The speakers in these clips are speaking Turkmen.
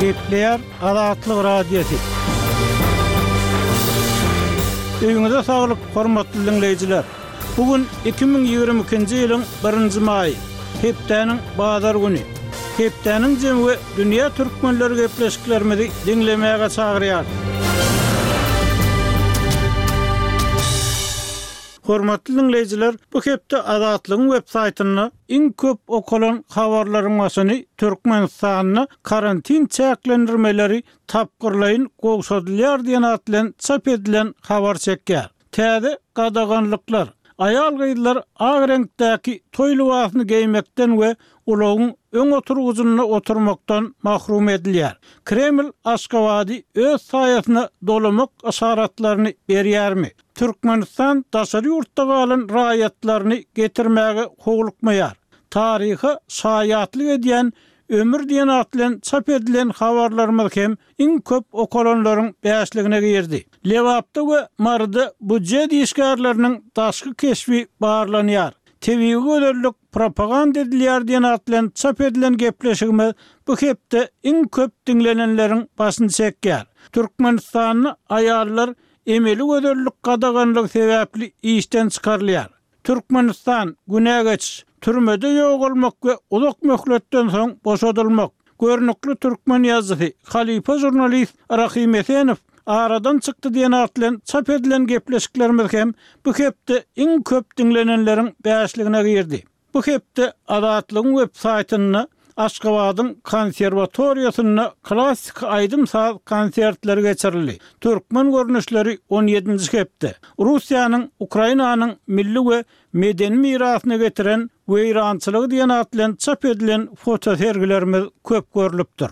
Gepleýär Azatlyk Radiosy. Öýüňize saglyk, hormatly diňleýjiler! Bu gün 2022-nji ýylyň birinji maýy, hepdäniň bazar güni. Hepdäniň jemi we dünýä türkmenleri gepleşiklerimizi diňlemäge çagyrýarys. Hormatly diňleýjiler, bu hepde Azatlygyň web saýtynda iň köp okalan habarlaryň başyny Türkmenistanda karantin çäklendirmeleri tapgyrlaýyn gowşadylýar diýen at bilen çap edilen habar çekýär. Täze gadaganlyklar, aýal-gyzlar ak reňkdäki toý lybasyny geýmekden we ulagyň öň oturgyjynda oturmakdan mahrum edilýär. Kreml Aşgabady öz saýasyna dolamak yşaratlaryny berýärmi? Türkmenistan daşary ýurtda galan raýatlaryny getirmäge howlukmaýar. Taryha şaýatlyk edýän Ömür diýen at bilen çap edilen habarlarymyz hem iň köp okalanlaryň bäşligine girdi. Lebapda we Maryda budjet işgärleriniň daşky keşbi barlanýar. Tebigy gözellik propaganda edilýär diýen at bilen çap edilen gepleşigimiz bu hepde iň köp diňlenenleriň başyny çekýär. Türkmenistanda aýallar Emeli gözellik gadaganlygy sebäpli işden çykarylýar. Türkmenistan, günä geçiş, türmede ýogalmak we uzak möhletden soň boşadylmak. Görnükli türkmen ýazyjysy, halypa žurnalist Rahym Esenow aradan çykdy diýen at bilen çap edilen gepleşiklerimiz hem bu hepde iň köp diňlenenleriň bäşligine girdi. Bu hepde Azatlygyň web saýtynda Aşgabadyň konserwatoriýasynda klassyky aýdym-saz konsertleri geçirildi. Türkmen görnüşleri on ýedinji hepde. Russiýanyň Ukrainanyň milli we medeni mirasyna getiren weýrançylygy diýen at bilen çap edilen fotosergilerimiz köp görlüpdir.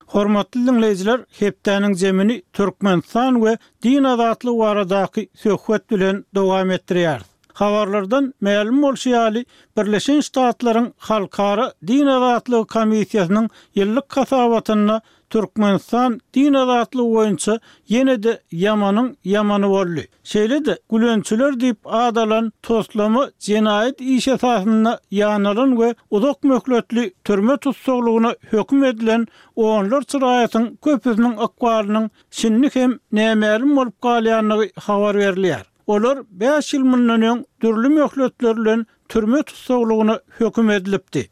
Hormatly diňleýjiler, hepdäniň jemini Türkmenistan we Din azatlygy baradaky söhbet bilen dowam etdirýäris. Habarlardan mälim bolşy ýaly, Birleşen Ştatlaryň Halkara din azatlygy komissiýasynyň ýyllyk hasabatynda Türkmenistan din azatlygy boýunça ýene-de ýamanyň ýamany boldy. Şeýle-de, gülençiler diýip at alan toslama jenaýat işi esasynda ýanalan we uzak möhletli türme tussaglygyna höküm edilen onlarça raýatyň köpüsiniň ykbalynyň şindi hem nämälim bolup galýandygy habar berilýär. Olar bäş ýyl mundan öň dürli möhletler bilen türme tussaglygyna höküm edilipdi.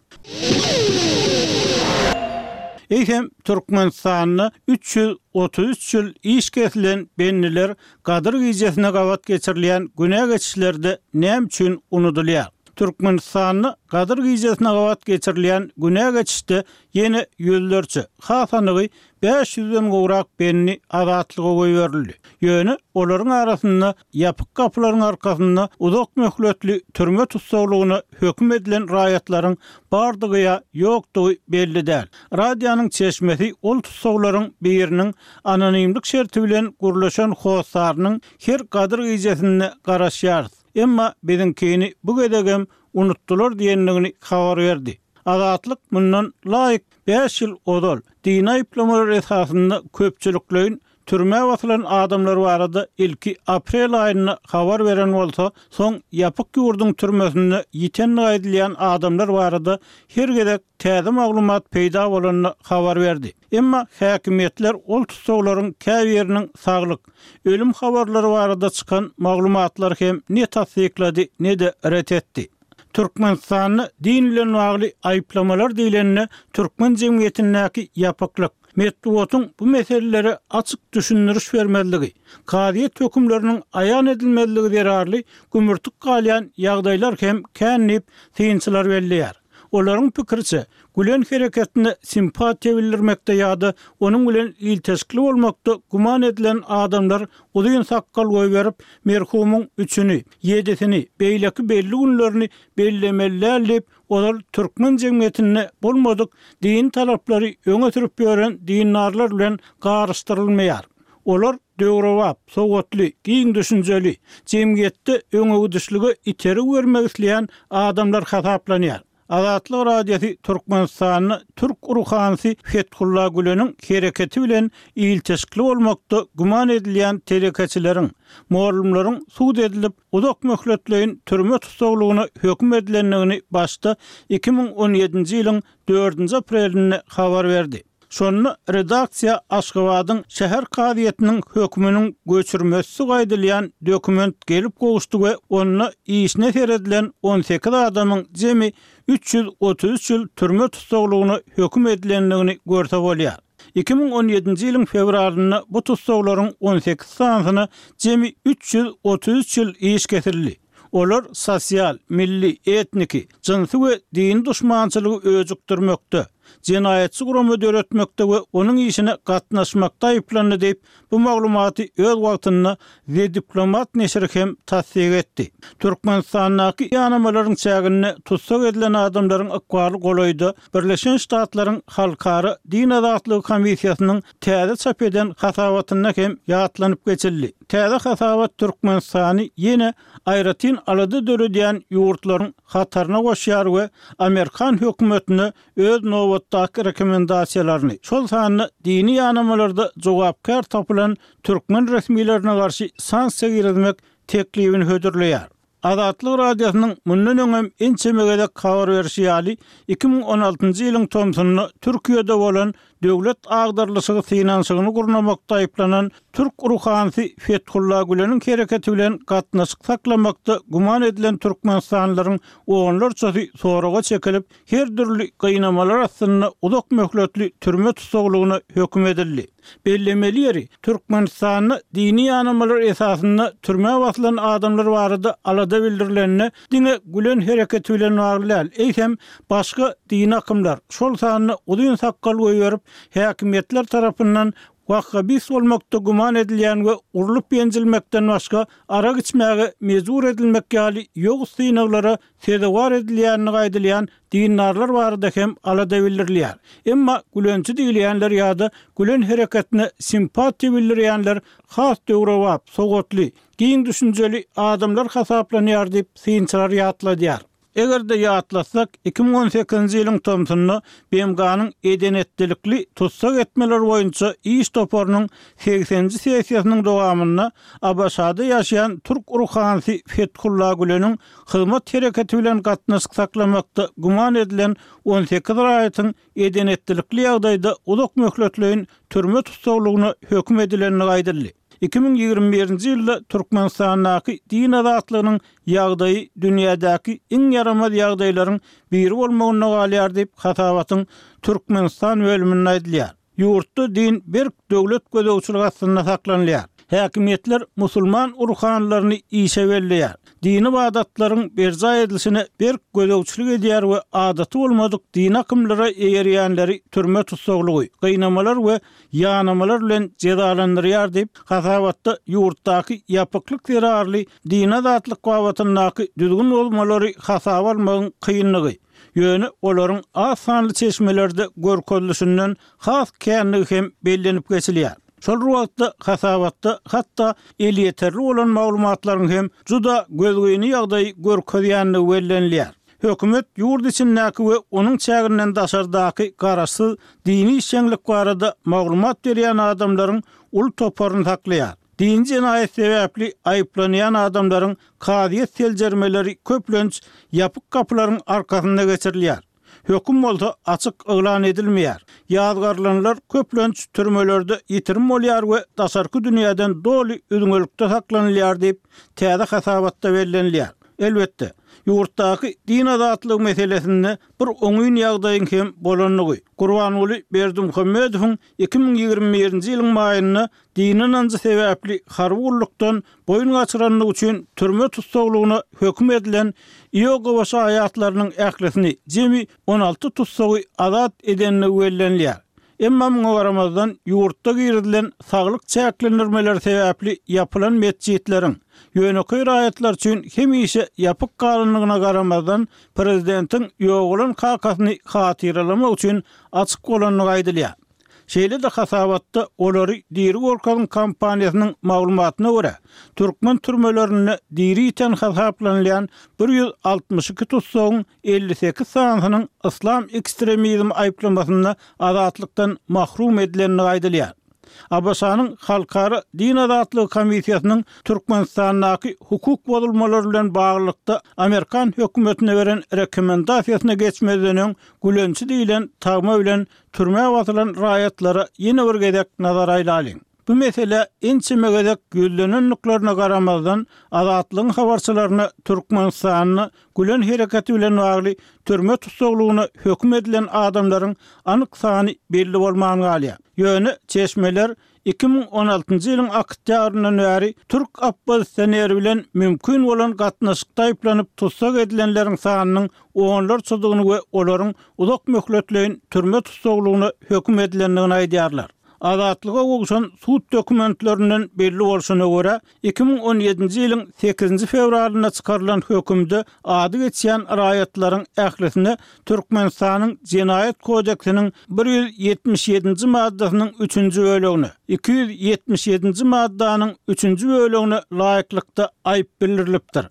Eýsem, Türkmenistanda 333 ýyl iş kesilen bendiler Gadyr gijesine gabat geçirilýän günä geçişlerde näme üçin unudylýar? Türkmenistanda Gadyr gijesine gabat geçirilýän günä geçişde ýene ýüzlerçe, has anygy Bäş ýüzden gowrak bendi azatlyga goýberildi. Ýöne olaryň arasynda ýapyk gapylaryň arkasynda uzak möhletli türme tussaglygyna höküm edilen raýatlaryň bardygy ýa ýokdugy belli däl. Radionyň çeşmesi ol tussaglaryň biriniň anonimlik şerti bilen gürleşen hossarynyň her Gadyr gijesinde garaşýarys, emma biziňkini bu gezegem unutdylar diýendigini habar berdi. Azatlyk mundan laýyk Bäş ýyl ozal, dini aýyplamalar esasynda köpçülikleýin türmä basylan adamlar barada ilki aprel aýynda habar beren bolsa, soň ýapyk ýurduň türmesinde ýitendigi aýdylýan adamlar barada her gezek täze maglumat peýda bolanda habar berdi. Emma häkimiýetler ol tussaglaryň käbiriniň saglyk, ölüm habarlary barada çykan maglumatlary hem ne tassyklady, ne-de ret etdi. Türkmenistanda din bilen bagly aýyplamalar diýlende türkmen jemgyýetindäki ýapyklyk, metbugatyň bu meselelere açyk düşündiriş bermezligi, kazyýet hökümleriniň aýan edilmezligi zerarly gümürtik galýan ýagdaýlar hem kän diýip, synçylar belleýär. Olaryň pikiriçe, Gülen hereketine simpatiýa bildirmekde ýa-da onuň bilen ilteşikli bolmakda güman edilen adamlar uzyn sakgal goýberip, merhumyň üçüni, ýedisini, beýleki belli günlerini bellemeli däl diýip, ozal türkmen jemgyýetinde bolmadyk dini talaplary öňe sürüp ýören dindarlar bilen garyşdyrylmaýar. Olar döwrebap, sowatly, giň düşünjeli, jemgyýetde öňegidişlige itergi bermek isleýän adamlar hasaplanýar. Azatlyk Radiosy Türkmenistanda türk ruhanysy Fethullah Güleniň hereketi bilen ilteşikli bolmakda güman edilýän telekeçileriň, mugallymlaryň sud edilip, uzak möhletleýin türme tussaglygyna höküm edilendigini başda 2017-nji ýylyň dördünji aprelinde habar berdi. Şonda redaksiýa Aşgabadyň şäher kazyýetiniň höküminiň göçürmesi aýdylýan dokument gelip gowuşdy we onda işine seredilen 18 adamyň jemi 333 ýyl türme tussaglygyna höküm edilendigini görse bolýar. 2017-nji ýylyň fewralynda bu tussaglaryň 18 sanysyna jemi 333 ýyl iş kesildi. Olar sosial, milli, etniki, jynsy we dini duşmançylygy öjükdirmekde, jenaýatçy gurama döretmekde we onuň işine gatnaşmakda aýyplandy diýip, bu maglumaty öz wagtynda The Diplomat neşiri hem tassyk etdi. Türkmenistandaky ýanamalaryň çäginde tussag edilen adamlaryň ykbaly golaýda Birleşen Ştatlaryň Halkara din azatlygy komissiýasynyň täze çap eden hasabatynda hem ýatlanyp geçildi. Täze hasabat Türkmenistany ýene aýratyn alada döredýän ýurtlaryň hataryna goşýar we amerikan hökümetine öz nobatdaky rekomendasiýalaryny, şol sanda dini ýanamalarda jogapkär tapylan türkmen resmilerine garşy sanksiýa girizmek teklibini hödürleýär. Azatlyk Radiosynyň mundan öňem ençeme gezek habar berşi ýaly, 2016-njy ýylyň tomsunda Türkiýede bolan döwlet agdarylyşygy synanyşygyny gurnamakda aýyplanan türk ruhanysy Fethullah Güleniň hereketi bilen gatnaşyk saklamakda güman edilen türkmenistanlylaryň onlarçasy soraga çekilip, her dürli gynamalar astynda uzak möhletli türme tussaglygyna höküm edildi. Bellemeli ýeri, Türkmenistanda dini ýanamalar esasynda türmä basylan adamlar barada alada bildirilende diňe Gülen hereketi bilen bagly däl, eýsem, başga dini akymlar, şol sanda uzyn sakgal goýberip, häkimiýetler tarapyndan wahhabist bolmakda güman edilýän we urlup-ýenjilmekden başga arak içmäge mejbur edilmek ýaly ýowuz synaglara sezewar edilýändigi aýdylýan dindarlar barada hem alada bildirilýär. Emma gülençi diýilýänler ýa-da Gülen hereketine simpatiýa bildirýänler has döwrebap, sowatly, giň düşünjeli adamlar hasaplanýar diýip, synçylar ýatladýar. Eger-de ýatlasak, 2018-nji ýylyň tomsunda BMG-niň eden-etdilikli tussag etmeler boýunça iş toparynyň segseninji sessiýasynyň dowamynda ABŞ-da ýaşaýan türk ruhanysy Fethullah Güleniň Hyzmat hereketi bilen gatnaşyk saklamakda güman edilen 18 raýatyň eden-etdilikli ýagdaýda uzak möhletleýin türme tussaglygyna höküm edilendigi aýdyldy. 2021-nji ýylda Türkmenistandaky din azatlygynyň ýagdaýy dünýädäki iň ýaramaz ýagdaýlaryň biri bolmagynda galýar diýip, hasabatyň Türkmenistan bölüminde aýdylýar. Ýurtda din berk döwlet gözegçiligi astynda saklanylýar. Häkimiýetler musulman ruhanylaryny işe belleýär, dini ybadatlaryň berjaý edilişine berk gözegçilik edýär we adaty bolmadyk dini akymlara eýerýänleri türme tussaglygy, gynamalar we ýanamalar bilen jezalandyrýar diýip, hasabatda ýurtdaky ýapyklyk zerarly dini azatlyk babatyndaky düzgün bozmalary hasaba almagyň kynlygy, Ýöne olaryň az sanly çeşmelerde görkezilişinden has känligi hem bellenip geçilýär. Şol bir wagtda, hasabatda hatda elýeterli bolan maglumatlaryň hem juda gözgyny ýagdaýy görkezýändigi bellenilýär. Hökümet ýurt içindäki we onuň çäginden daşardaky garaşsyz dini işjeňlik barada maglumat berýän adamlaryň uly toparyny saklaýar. Dini jenaýat sebäpli aýyplanýan adamlaryň Kazyýet seljermeleri köplenç ýapyk gapylaryň arkasynda geçirilýär. Höküm bolsa açyk yglan edilmeýär. Ýazgarylanlar köplenç türmelerde ýitirim bolýar we daşarky dünýäden doly üzňelikde saklanylýar diýip, täze hasabatda bellenilýär. Elbetde, ýurtdaky din azatlygy meselesinde bir oňyn ýagdaýyň hem bolandygy, Gurbanguly Berdimuhamedowyň 2021-nji ýylyň maýynda dini ynanjy sebäpli harby gullukdan boýun gaçyranlygy üçin türme tussaglygyna höküm edilen Iogowa şaýatlarynyň ählisini, jemi 16 tussagy azat edendigi bellenilýär. Emma muňa garamazdan, ýurtda girizilen saglyk çäklendirmeleri sebäpli ýapylan metjitleriň, ýönekeý raýatlar üçin hemişe ýapyk galandygyna garamazdan, prezidentiň ýogalan kakasyny hatyralamak üçin açyk bolandygy aýdylýar. Şeýle-de hasabatda Olary diri görkeziň kampaniýasynyň maglumatyna görä, türkmen türmelerinde diri ýiten hasaplanylýan 162 tussagyň 58 sanysynyň yslam ekstremizmi aýyplamasynda azatlykdan mahrum edilendigi aýdylýar. ABŞ-nyň Halkara din azatlygy komissiýasynyň Türkmenistandaky hukuk bozulmalary bilen baglylykda amerikan hökümetine beren rekomendasiýasyna geçmezden öň gülençi diýlen tagma bilen türmä basylan raýatlara ýene bir gezek nazar aýlalyň. Bu meselä ençeme gezek ýüzlenendiklerine garamazdan, Azatlygyň habarçylaryna Türkmenistanda Gülen hereketi bilen bagly türme tussaglygyna höküm edilen adamlaryň anyk sany belli bolman galýar. Ýöne çeşmeler 2016-njy ýylyň oktýabryndan bäri türk oppozisioneri bilen mümkin bolan gatnaşykda aýyplanyp tussag edilenleriň sanynyň onlarçadygyny we olaryň uzak möhletleýin türme tussaglygyna höküm edilendigini aýdýarlar. Azatlyga gowşan sud dokumentlerinden belli bolşuna görä, 2017-nji ýylyň sekizinji fewralynda çykarylan hökümde ady geçýän raýatlaryň ählisine Türkmenistanyň Jenaýat kodeksiniň 177-nji maddasynyň üçünji bölegine, 277-nji maddanyň üçünji bölegine laýyklykda aýyp bildirilipdir.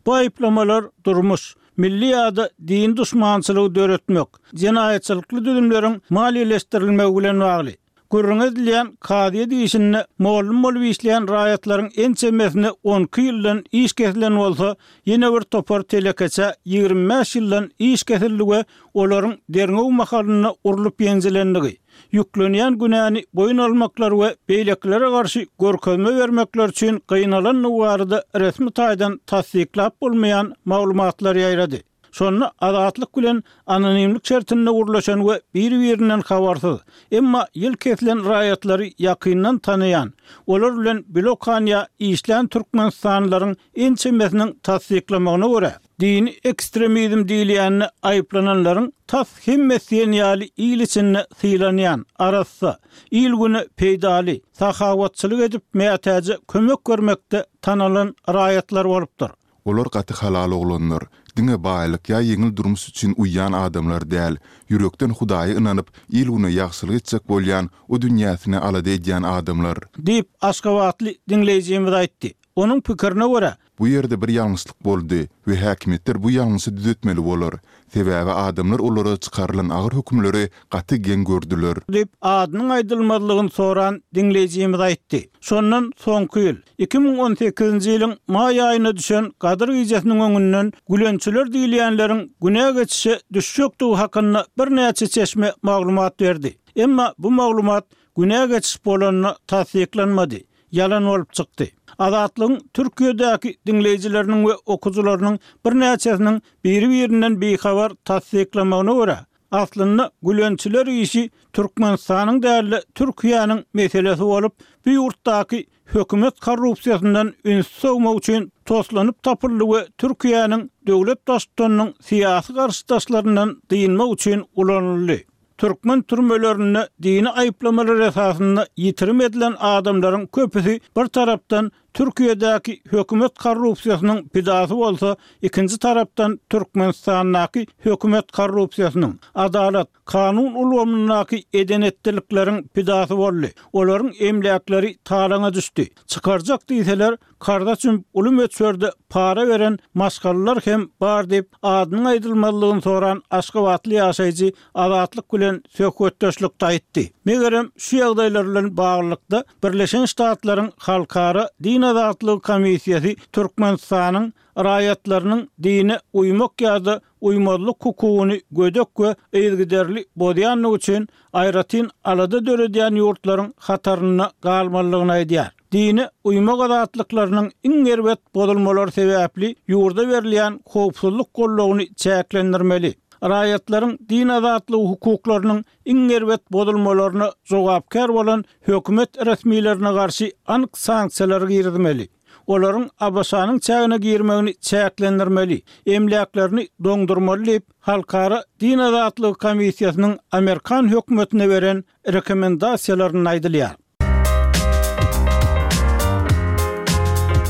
Bu aýyplamalar durmuş, milli ýa-da dini duşmançylygy döretmek, jenaýatçylykly düzümleriň maliýeleşdirilmegi bilen bagly. Gürrüňi edilýän kazyýet işinde mollum bolup işleýän raýatlaryň ençemesine on iki ýyldan iş kesilen bolsa, ýene bir topar telekeçä 25 ýyldan iş kesildi we olaryň derňew mahalynda urlup-ýenjilendigi, ýüklenýän günäni boýun almaklary we beýlekilere garşy görkezme bermekleri üçin gynalandygy barada resmi taýdan tassyklap bolmaýan maglumatlar ýaýrady. Şonda Azatlyk bilen anonimlik şertinde gürleşen we bir-birinden habarsyz, emma ýyl kesilen raýatlary ýakyndan tanaýan, olar bilen bile okan ýa işlän türkmenistanlylaryň ençemesiniň tassyklamagyna görä, dini ekstremizm diýilýände aýyplananlaryň tas hemmesi diýen ýaly il içinde sylanýan, arassa, il-güne peýdaly, sahawatçylyk edip mätäje kömek bermekde tanalan raýatlar bolupdyr. Olar gaty halal oglanlar. Diňe baýlyk ýa ýeňil durmuş üçin uýýan adamlar däl. Ýürekden Hudaýa ynanyp, il-güne ýagşylyk etjek bolýan, o dünýäsini alada edýän adamlar. Diýip, aşgabatly diňleýjimiz aýtdy. Onuň pikirine görä, Bu ýerde bir ýalňyşlyk boldy we häkimiýetler bu ýalňyşy düzetmeli bolar. Sebäbi adamlar olara çykarylan agyr hökümleri gaty geň gördüler. Diýip, adynyň aýdylmazlygyny soran diňleýjimiz aýtdy. Şondan soňky ýyl, 2018-nji ýylyň maý aýynda düşen Gadyr gijesiniň öňünden gülençiler diýilýänleriň günä geçişe düşjekdigi hakynda birnäçe çeşme maglumat berdi. Emma bu maglumat günä geçiş bolanda tassyklanmady. ýalan bolup çykdy. Azatlygyň Türkiýedäki diňleýjileriniň we okyjylarynyň birnäçesiniň biri-birinden bihabar tassyklamagyna görä, aslynda gülençiler işi Türkmenistanyň däl-de Türkiýäniň meselesi bolup, bu ýurtdaky hökümet korrupsiýasyndan ünsi sowmak üçin toslanyp tapyldy we Türkiýäniň döwlet baştutanynyň syýasy garşydaşlaryndan dynmak üçin ulanyldy. Türkmen türmelerinde dini aýyplamalar esasynda ýitirim edilen adamlaryň köpüsi bir tarapdan Türkiýedäki hökümet korrupsiýasynyň pidasy bolsa, ikinji tarapdan Türkmenistandaky hökümet korrupsiýasynyň, adalat, kanun ulgamyndaky eden-etdilikleriň pidasy boldy. Olaryň emläkleri talaňa düşdi. Çykarjak diýseler, Karza çümüp uly möçberde para beren maşgalalar hem bar diýip, adynyň aýdylmazlygyny soran aşgabatly ýaşaýjy Azatlyk bilen söhbetdeşlikde aýtdy. Megerem, şu ýagdaýlar bilen baglylykda, Birleşen Ştatlaryň Halkara din azatlygy komissiýasy Türkmenistanyň raýatlarynyň dine uýmak ýa-da uýmazlyk hukugyny gödek we yzygiderli bozýandygy üçin aýratyn alada döredýän ýurtlaryň hatarynda galmalydygyny aýdýar. Dine uýmak azatlyklarynyň iň erbet bozulmalary sebäpli ýurda berilýän howpsuzlyk goldawyny çäklendirmeli. Raýatlaryň din azatlygy hukuklarynyň iň erbet bozulmalaryna jogapkär bolan hökümet resmilerine garşy anyk sanksiýalary girizmeli. Olaryň ABŞ-nyň çägine girmegini çäklendirmeli, emläklerini doňdurmaly diýip, Halkara din azatlygy komissiýasynyň amerikan hökümetine beren rekomendasiýalarynda aýdylýar.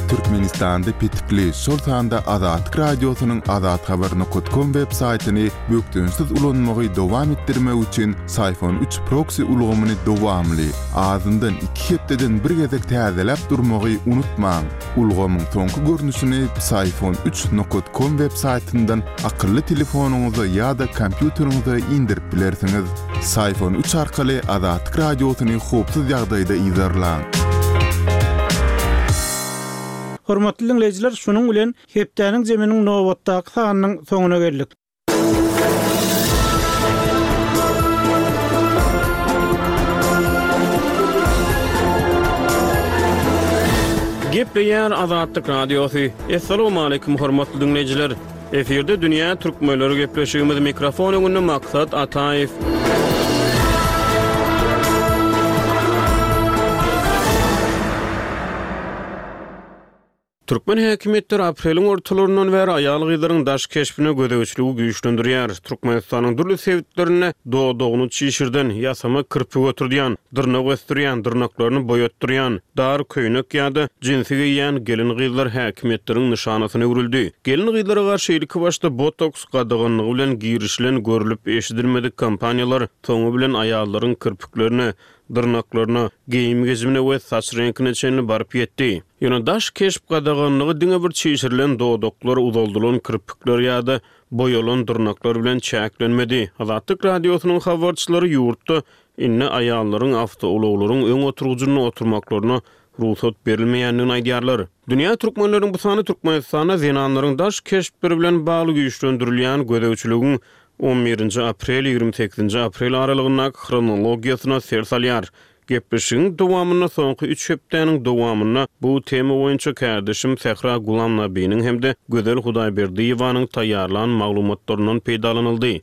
Türkmen. Türkmenistanda petikli, şol sanda Azatlyk Radiosynyň azathabar nokat kom web saýtyny bökdençsiz ulanmagy dowam etdirmek üçin Syfon üç proksi ulgamyny dowamly, azyndan iki hepdeden bir gezek täzeläp durmagy unutmaň. Ulgamyň soňky görnüşini Psiphon üç nokat kom web saýtyndan akylly telefonyňyza ýa-da kompýuteriňize indirip bilersiňiz. Psiphon üç arkaly Azatlyk Radiosyny howpsuz ýagdaýda yzarlaň. Hormatly diňleýjiler, şunuň bilen hepdäniň jeminiň nobatdaky sanynyň soňuna geldik. Gepleýär Azatlyk Radiosy. Assalamualaikum hormatly diňleýjiler. Efirde dünýä türkmenleri gepleşigimiz mikrofon öňünde Maksat Ataýew. Türkmen häkimiýetleri apreliň ortalaryndan bäri aýal-gyzlaryň daş keşbine gözegçiligi güýçlendirýär. Türkmenistanyň dürli sebitlerinde dodagyny çişirden, ýasama kirpik oturdýan, dyrnak ösdürýän, dyrnaklaryny boýatdyrýan, dar köýnek ýa-da jinsi geýýän gelin-gyzlar häkimiýetleriň nyşanasyna öwrüldi. Gelin-gyzlara garşy ilkibaşda botoks gadaganlygy bilen girişilen görlüp-eşidilmedik kampaniýalar soňy bilen aýallaryň kirpiklerine, dyrnaklaryna, geýim-gejimine we saç reňkine çenli baryp ýetdi. Ýöne daş keşp gadaganlygy diňe bir çişirilen dodaklar, uzaldylan kirpikler ýa-da boýalan dyrnaklar bilen çäklenmedi. Azatlyk Radiosynyň habarçylary ýurtda indi aýallaryň awtoulaglaryň öň oturgyjynda oturmaklaryna rugsat berilmeýändigini aýdýarlar. Dünýä türkmenleriniň bu sany Türkmenistanda zenanlaryň daş keşpleri bilen bagly güýçlendirilýän gözegçiligiň on birinji aprel, 28-nji aprel aralygyndaky hronologiýasyna ser salýar. Gepleşigiň dowamynda soňky üç hepdäniň dowamynda bu tema boýunça kärdeşim Sähra Gulamnabiniň hem-de Gözel Hudaýberdiýewanyň taýýarlan maglumatlaryndan peýdalanyldy.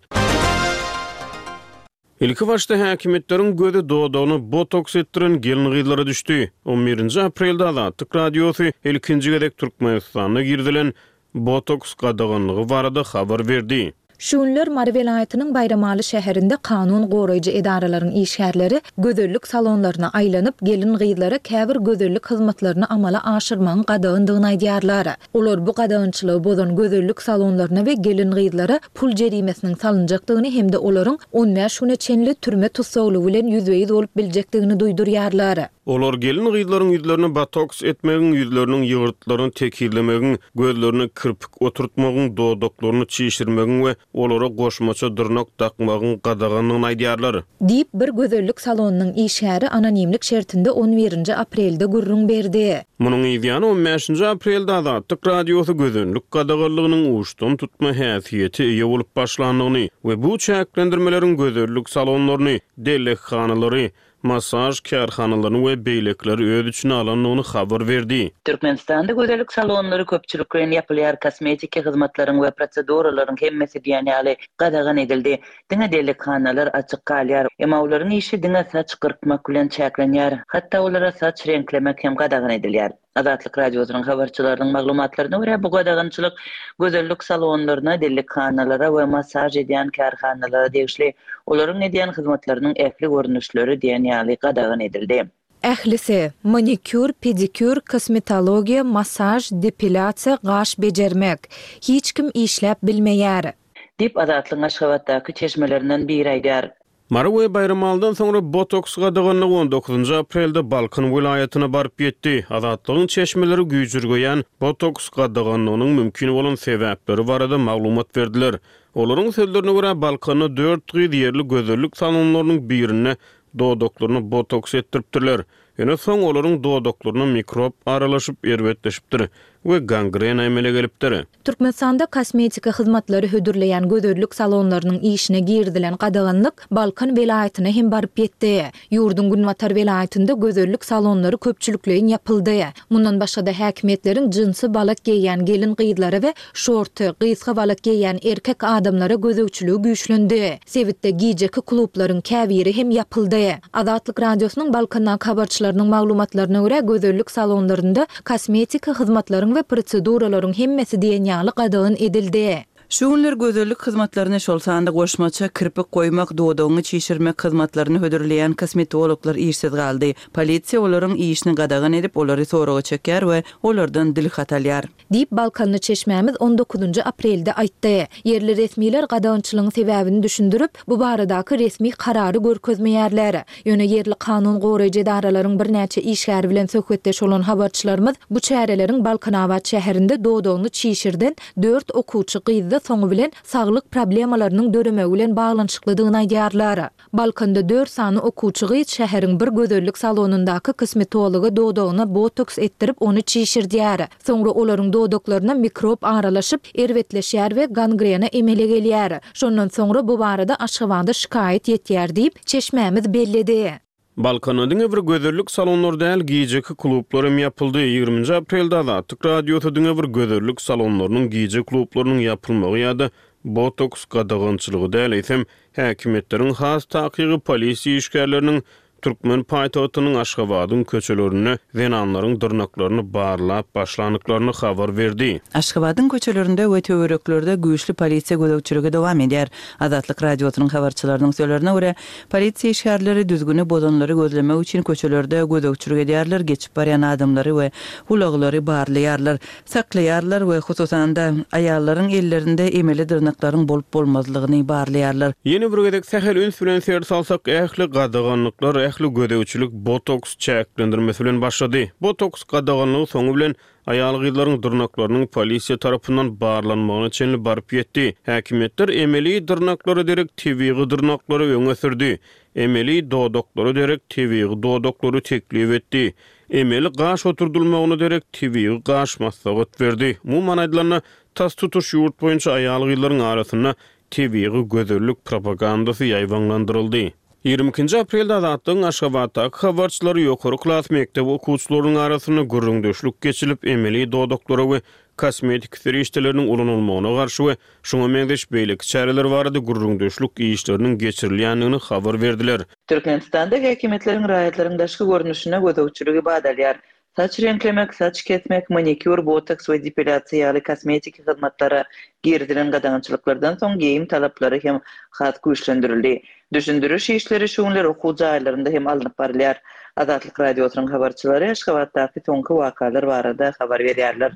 Ilkibaşda häkimiýetleriň gözi dodagyna botoks etdiren gelin-gyzlara düşdi. On birinji aprelde Azatlyk Radiosy ilkinji gezek Türkmenistanda girizilen botoks gadaganlygy barada habar berdi. Şu günler Mary welaýatynyň Baýramaly şäherinde kanun goraýjy edaralaryň işgärleri gözellik salonlaryna aýlanyp, gelin-gyzlara käbir gözellik hyzmatlaryny amala aşyrmagyň gadagandygyny aýdýarlar. Olar bu gadagançylygy bozan gözellik salonlaryna we gelin-gyzlara pul jerimesiniň salynjakdygyny hem-de olaryň on bäş güne çenli türme tussaglygy bilen ýüzbe-ýüz bolup biljekdigini duýdurýarlar. Olar gelin-gyzlaryň ýüzlerine botoks etmegiň, ýüzleriniň ýygyrtlaryny tekizlemegiň, gözlerine kirpik oturtmagyň, dodaklaryny çişirmegiň we olara goşmaça dyrnak dakmagyň gadagandygyny aýdýarlar. Diýip, bir gözellik salonynyň işgäri anonimlik şertinde on birinji aprelde gürrüň berdi. Munuň yzýany on bäşinji aprelde Azatlyk Radiosy gözellik gadaganlygynyň uçdan tutma häsiýete eýe bolup başlandygyny we bu çäklendirmeleriň gözellik salonlaryny, dellekhanalary, massaž kärhanalaryny we beýlekileri öz içine alandygyny habar berdi. Türkmenistanda gözellik salonlary köpçülikleýin ýapylýar, kosmetiki hyzmatlaryň we proseduralaryň hemmesi diýen ýaly gadagan edildi. Diňe dellekhanalar açyk galýar. Emma olaryň işi diňe saç gyrkmak bilen çäklenýär. Hatda olara saç reňklemek hem gadagan edilýär. Azatlyk Radiosynyň habarçylarynyň maglumatlaryna görä, bu gadagançylyk gözellik salonlaryna, dellekhanalara we massaž edýän kärhanalara degişli. Olaryň edýän hyzmatlarynyň ähli görnüşleri diýen ýaly gadagan edildi. Ählisi, manikýur, pedikýur, kosmetologiýa, massaž, depilýasiýa, gaş bejermek. Hiç kim işläp bilmeýär. Diýip, Azatlygyň Aşgabatdaky çeşmelerinden biri aýdýar. Mary we Baýramalydan soňra botoks gadaganlygy on dokuzynjy aprelde Balkan welaýatyna baryp ýetdi. Azatlygyň çeşmeleri güýjürgeýän botoks gadaganlygynyň mümkin bolan sebäpleri barada maglumat berdiler. Olaryň sözlerine görä, Balkanda dört gyz ýerli gözellik salonlarynyň birinde dodaklaryna botoks etdiripdirler. Ýöne soň olaryň dodaklaryna mikrop aralaşyp, erbetleşipdir we gangrena emele gelipdir. Türkmenistanda kosmetika hyzmatlary hödürleýän gözellik salonlarynyň işine girizilen gadaganlyk Balkan welaýatyna hem baryp ýetdi. Ýurduň günbatar welaýatynda gözellik salonlary köpçülikleýin ýapyldy. Mundan başga-da häkimiýetleriň jinsi balak geýýän gelin-gyzlara we şorty, gysga balak geýýän erkek adamlara gözegçiligi güýçlendi. Sebitde gijeki klublaryň käbiri hem ýapyldy. Azatlyk Radiosynyň Balkandaky habarçylarynyň maglumatlaryna görä, gözellik salonlarynda kosmetiki hyzmatlaryň we proseduralaryň hemmesi diýen ýaly gadagan edildi. Şu günler gözellik hyzmatlaryny, şol sanda goşmaça kirpik goýmak, dodagyňy çişirmek hyzmatlaryny hödürleýän kosmetologlar işsiz galdy. Polisiýa olaryň işini gadagan edip, olary soraga çekýär we olardan dilhat alýar. Diýip, balkanly çeşmämiz on dokuzynjy aprelde aýtdy. Ýerli resmiler gadagançylygyň sebäbini düşündirip, bu baradaky resmi karary görkezmeýärler. Ýöne ýerli kanun goraýjy edaralaryň birnäçe işgäri bilen söhbetdeş bolan habarçylarymyz bu çäreleriň Balkanabat şäherinde dodagyny çişirden dört okuwçy gyzda soňy bilen saglyk problemalarynyň döremegi bilen baglanyşyklydygyny aýdýarlar. Balkanda dört sany okuwçy gyz şäheriň bir gözellik salonyndaky kosmetologa dodagyna botoks etdirip ony çişirdýär. Soňra olaryň dodaklaryna mikrob aralaşyp, erbetleşýär we gangrena emele gelýär. Şondan soňra bu barada Aşgabada şikaýat ýetýär diýip, çeşmämiz belledi. Balkanda diňe bir gözellik salonlary däl, gijeki klublar hem ýapyldy. Ýigriminji aprelde Azatlyk Radiosy diňe bir gözellik salonlarynyň, gije klublarynyň ýapylmagy ýa-da botoks gadagançylygy däl, eýsem, häkimiýetleriň, has takygy polisiýa işgärleriniň türkmen paýtagtynyň Aşgabadyň köçelerinde zenanlaryň dyrnaklaryny barlap başlandyklaryny habar berdi. Aşgabadyň köçelerinde we töwereklerde güýçli polisiýa gözegçiligi dowam edýär. Azatlyk Radiosynyň habarçylarynyň sözlerine görä, polisiýa işgärleri düzgüni bozanlary gözlemek üçin köçelerde gözegçilik edýärler, geçip barýan adamlary we ulaglary barlaýarlar, saklaýarlar we, hususan-da, aýallaryň ellerinde emeli dyrnaklaryň bolup-bolmazlygyny barlaýarlar. Ýene bir gezek sähel üns bilen ser salsak, ähli gadaganlyklar, ähli gözegçilik botoks çäklendirmesi bilen başlady. Botoks gadaganlygy soňy bilen aýal-gyzlaryň dyrnaklarynyň polisiýa tarapyndan barlanmagyna çenli baryp ýetdi. Häkimiýetler emeli dyrnaklara derek tebigy dyrnaklary öňe sürdi. Emeli dodaklara derek tebigy dodaklary teklip etdi. Emeli gaş oturdylmagyna derek tebigy gaş maslahat berdi. Umuman aýdylanda, tas tutuş ýurt boýunça aýal-gyzlaryň arasynda tebigy gözellik propagandasy ýaýbaňlandyryldy. 22-nji aprelde Azatlygyň Aşgabatdaky habarçylary ýokary klas mekdep okuwçylarynyň arasynda gürrüňdeşlik geçilip, emeli dodaklara we kosmetik serişdeleriniň ulanylmagyna garşy we şuňa meňzeş beýleki çäreler barada gürrüňdeşlik işleriniň geçirilýändigini habar berdiler. Türkmenistanda häkimiýetleriň raýatlaryň daşky görnüşine gözegçiligi badalýar. Saç reňklemek, saç kesmek, manikýur, botoks we depilýasiýa ýaly kosmetiki hyzmatlara girizilen gadagançylyklardan soň geýim talaplary hem has güýçlendirildi. Düşündiriş işleri şu günler okuw jaýlarynda hem alnyp barylýar. Azatlyk Radiosynyň habarçylary Aşgabatdaky soňky wakalar barada habar berýärler.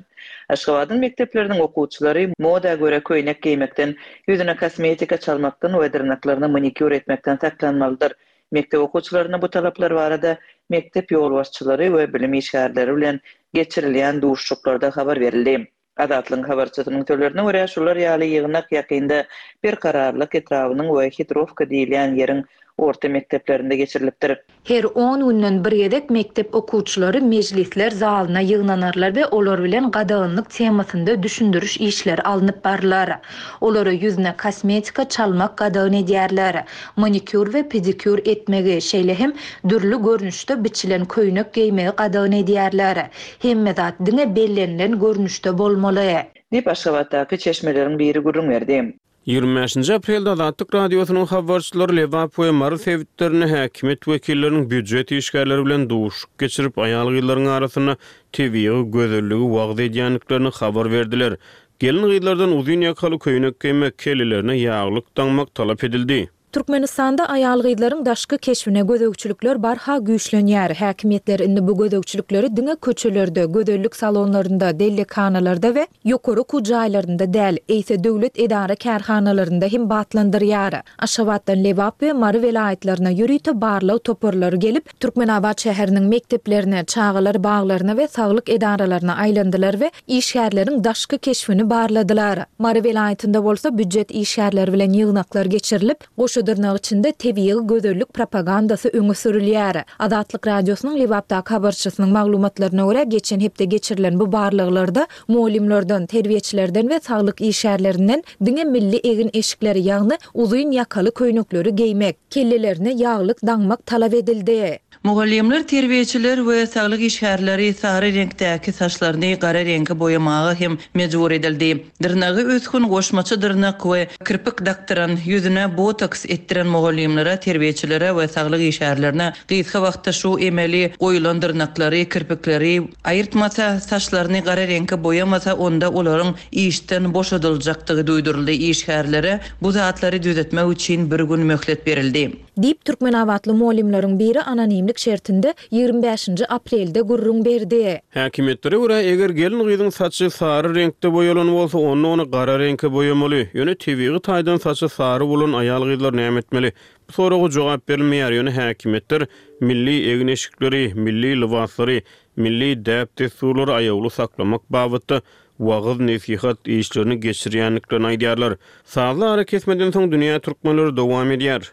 Aşgabadyň mekdepleriniň okuwçylary moda görä köýnek geýmekden, ýüzüne kosmetika çalmakdan we dyrnaklaryna manikýur etmekden saklanmalydyr. Mekdep okuwçylaryna bu talaplar barada mekdep ýolbaşçylary we bilim işgärleri bilen geçirilýän duşuşyklarda habar berildi. Azatlygyň habarçysynyň sözlerine görä, şular ýaly ýygnak ýakynda Berkararlyk etrabynyň we Hitrowka diýilýän ýeriň orta mekdeplerinde geçirilipdir. Her on günden bir gezek mekdep okuwçylary mejlisler zalyna ýygnanarlar we olar bilen gadaganlyk temasynda düşündiriş işleri alnyp barylar. Olara ýüzüne kosmetika çalmak gadagan edýärler. Manikýur we pedikýur etmegi, şeýle hem dürli görnüşde biçilen köýnek geýmegi gadagan edýärler. Hemme zat diňe bellenilen görnüşde bolmaly. Diýip, Aşgabatdaky çeşmeleriň biri gürrüň berdi. 25-nji aprelde Azatlyk Radiosynyň habarçylary Lebap we Mary sebitlerinde häkimiýet wekilleriniň býujet işgärleri bilen duşuşyk geçirip, aýal-gyzlaryň arasynda tebigy gözelligi wagyz edýändiklerini habar berdiler. Gelin-gyzlardan uzyn ýakaly köýnek geýmek, kellelerine ýaglyk daňmak talap edildi. Türkmenistanda aýal-gyzlaryň daşky keşbine gözegçilikler barha güýçlenýär. Häkimiýetler indi bu gözegçilikleri diňe köçelerde, gözellik salonlarynda, dellekhanalarda we ýokary okuw jaýlarynda däl, eýse döwlet edara-kärhanalarynda hem batlandyrýar. Aşgabatdan Lebap we Mary welaýatlaryna ýörite barlag toparlary gelip, Türkmenabat şäheriniň mekdeplerine, çagalar baglaryna we saglyk edaralaryna aýlandylar we işgärleriň daşky keşbini barladylar. Mary welaýatynda bolsa býujet işgärleri bilen ýygnaklar geçirilip, goşa dyrnak içinde tebigy gözellik propagandasy öňe sürülýär. Azatlyk Radiosynyň Lebapdaky habarçysynyň maglumatlaryna görä, geçen hepde geçirilen bu barlaglarda mugallymlardan, terbiýeçilerden we saglyk işgärlerinden diňe milli egin-eşikleri, ýagny uzyn ýakaly köýnekleri geýmek, kellelerine ýaglyk daňmak talap edildi. Mugallymlar, terbiýeçiler we saglyk işgärleri sary reňkdäki saçlaryny gara reňke boýamaga hem mejbur edildi. Dyrnagy ösgün goşmaça dyrnak we kirpik dakdyran, ýüzüne botoks. etdiren mugallymlara, terbiýeçilere we saglyk işgärlerine gysga wagtda şu emeli goýulan dyrnaklary, kirpikleri aýyrtmasa, saçlaryny gara reňke boýamasa, onda olaryň işden boşadyljakdygy duýduryldy. Işgärlere bu zatlary düzetmek üçin bir gün möhlet berildi. Diýip, türkmenabatly mugallymlaryň biri anonimlik şertinde 25-nji aprelde gürrüň berdi. Häkimiýetlere görä, eger gelin-gyzyň saçy sary reňkde boýalan bolsa, onda ony gara reňke boýamaly. Ýöne tebigy taýdan saçy sary bolan aýal-gyzlar näme etmeli? Bu soraga jogap berilmeýär, ýöne häkimiýetler milli egin-eşikleri, milli lybaslary, milli däp-dessurlary aýawly saklamak babatda wagyz-nesihat işlerini geçirýändiklerini aýdýarlar. Sazly arakesmeden soň Dünýä türkmenleri dowam edýär.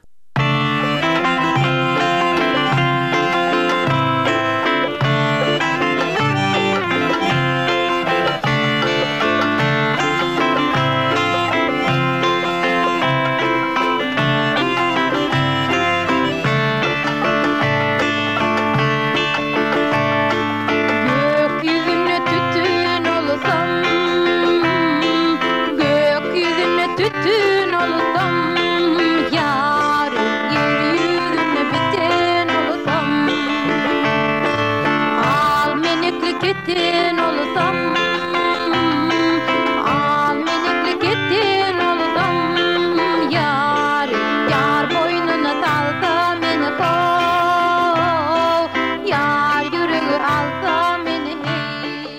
Gök ýüzünde tütün bolsam, Gök ýüzünde tütün bolsam, Ýar ýer ýüzünde biten bolsam, Al menekli keten bolsam, Al menekli keten bolsam, Ýar ýar boýnuna salsa meni how, Ýar ýüregi alsa meni heý.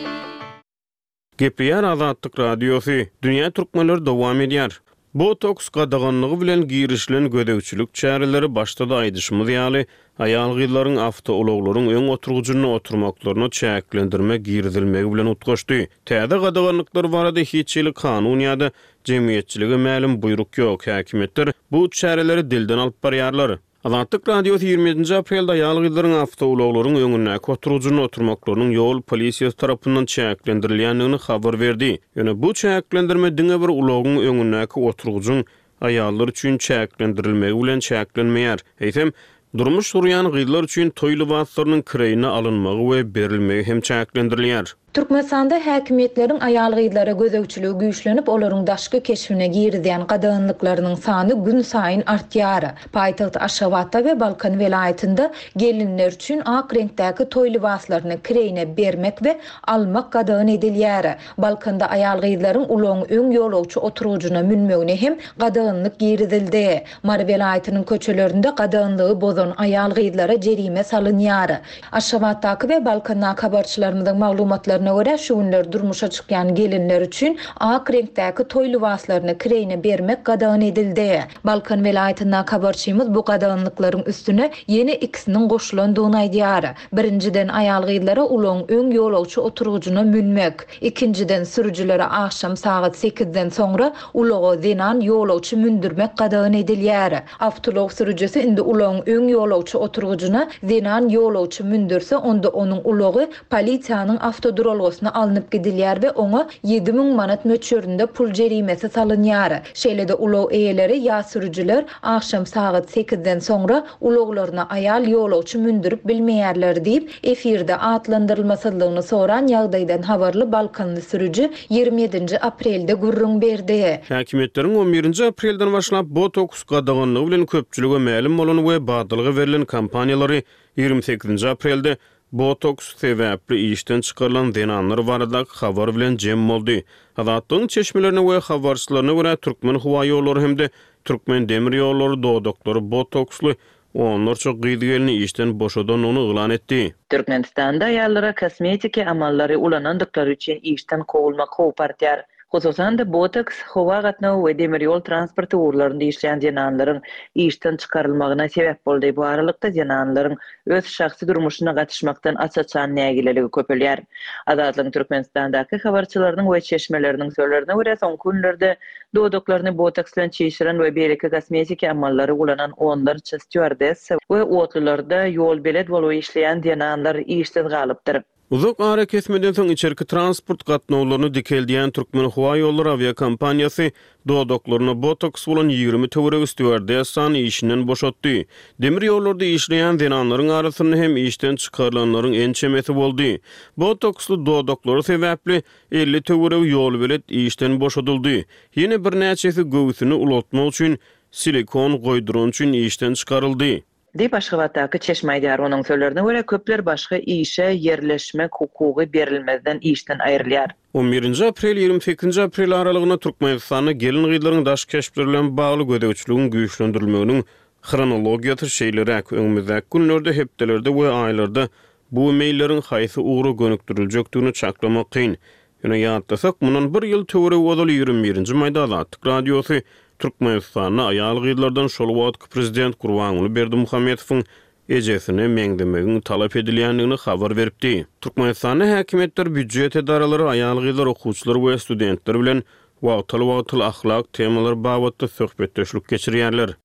Gepleýär Azatlyk Radiosy, Dünýä türkmenleri dowam edýär. Botoks gadaganlygy bilen girişilen gözegçilik çäreleri başda-da aýdyşymyz ýaly, aýal-gyzlaryň awtoulaglaryň öň oturgyjynda oturmaklaryna çäklendirme girizilmegi bilen utgaşdy. Täze gadaganlyklar barada hiç hili kanun ýa-da jemgyýetçilige mälim buýruk ýok, häkimiýetler bu çäreleri dilden alyp barýarlar. Azatlyk Radiosy 27-nji aprelde aýal-gyzlaryň awtoulaglaryň öňündäki oturgyjynda oturmaklarynyň ýol polisiýasy tarapyndan çäklendirilýändigini habar berdi. Ýöne bu çäklendirme diňe bir ulagyň öňündäki oturgyjyň aýallar üçin çäklendirilmegi bilen çäklenmeýär. Eýsem, durmuş gurýan gyzlar üçin toý lybaslarynyň kireýine alynmagy we berilmegi hem çäklendirilýär. Türkmenistanda häkimiýetleriň aýal-gyzlara gözegçiligi güýçlenip, olaryň daşky keşbine girizýän gadaganlyklarynyň sany günsaýyn artýar. Paýtagt Aşgabatda we Balkan welaýatynda gelinler üçin ak reňkdäki toý lybaslaryny kireýine bermek we almak gadagan edilýär. Balkanda aýal-gyzlaryň ulagyň öň ýolagçy oturgyjyna münmegine hem gadaganlyk girizildi. Mary welaýatynyň köçelerinde gadaganlygy bozan aýal-gyzlara jerime salynýar. Aşgabatdaky we Balkandaky habarçylarymyzyň maglumatlaryna görä, şu günler durmuşa çykýan gelinler üçin ak reňkdäki toý lybaslaryny kireýine bermek gadagan edildi. Balkan welaýatyndaky habarçymyz bu gadaganlyklaryň üstüne ýene ikisiniň goşulandygyny aýdýar. Birinjiden, aýal-gyzlara ulagyň öň ýolagçy oturgyjyna münmek, ikinjiden, sürüjilere agşam sagat sekizden soňra ulaga zenan ýolagçy mündürmek gadagan edilýär. Awtoulag sürüjisi indi ulagyň öň ýolagçy oturgyjyna zenan ýolagçy mündürse, onda onuň ulagy polisiýanyň awtoduralgasyna alnyp gidilýär we oňa 7000 manat möçberinde pul jerimesi salynýar. Şeýle-de ulag eýeleri ýa sürüjiler agşam sagat sekizden soňra ulaglaryna aýal ýolagçy mündürip bilmeýärler diýip, efirde atlandyrylmasyzlygyny soran ýagdaýdan habarly balkanly sürüji 27-nji aprelde gürrüň berdi. Häkimiýetleriň on birinji aprelden başlap botoks gadaganlygy bilen köpçülige mälim bolan we badalga berlen kampaniýalary 28-nji aprelde botoks sebäpli işden çykarylan zenanlar baradaky habar bilen jem boldy. Azatlygyň çeşmelerine we habarçylaryna görä, Türkmenhowaýollary hem-de Türkmendemirýollary dodaklary botoksly onlarça gyz-gelni işden boşadandygyny yglan etdi. Türkmenistanda aýallara kosmetiki amallary ulanandyklary üçin işden kowulmak howpy artýar. Hususan-da, botoks, howa gatnawy we demir ýol transporty ugurlarynda işleýän zenanlaryň işden çykarylmagyna sebäp boldy. Bu aralykda, zenanlaryň öz şahsy durmuşyna gatyşmakdan aç-açan nägileligi köpelýär. Azatlygyň Türkmenistandaky habarçylarynyň we çeşmeleriniň sözlerine görä, soňky günlerde Dodaklaryny botoks bilen çişiren we beýleki kosmetiki amallary ulanan onlarça stýuardessa we otlularda ýolbelet bolup işleýän zenanlar işsiz galypdyr. Uzak arakesmeden soň içerki transport gatnawlaryny dikeldýän Türkmenhowaýollary awiakompaniýasy dodaklarynda botoks bolan 20 töweregi stýuardessany işinden boşatdy. Demir ýollarda işleýän zenanlaryň arasynda hem işden çykarylanlaryň ençemesi boldy. Botoksly dodaklary sebäpli 50 töweregi ýolbelet işden boşadyldy. Ýene birnäçesi göwsüni ulaltmak üçin silikon goýdurany üçin işden çykaryldy. Diýip, Aşgabatdaky çeşme aýdýar. Onuň sözlerine görä, köpler başga işe ýerleşmek hukugy berilmezden işden aýrylýar. On birinji aprel, 28-nji aprel aralygynda Türkmenistanda gelin-gyzlaryň daş keşpleri bilen bagly gözegçiligiň güýçlendirilmeginiň hronologiýasy şeýleräk, öňümizdäki günlerde, hepdelerde we aýlarda bu meýilleriň haýsy ugra gönükdiriljekdigini çaklamak kyn. Ýöne ýatlasak, mundan bir ýyl töweregi ozal 21-nji maýda Azatlyk Radiosy Türkmenistanda aýal-gyzlardan şol wagtky prezident Gurbanguly Berdimuhamedowyň ejesine meňzemegiň talap edilýändigini habar beripdi. Türkmenistanda häkimiýetler, býujet edaralary aýal-gyzlar, okuwçylar we studentler bilen wagtal-wagtal ahlak temalary babatda söhbetdeşlik geçirýärler.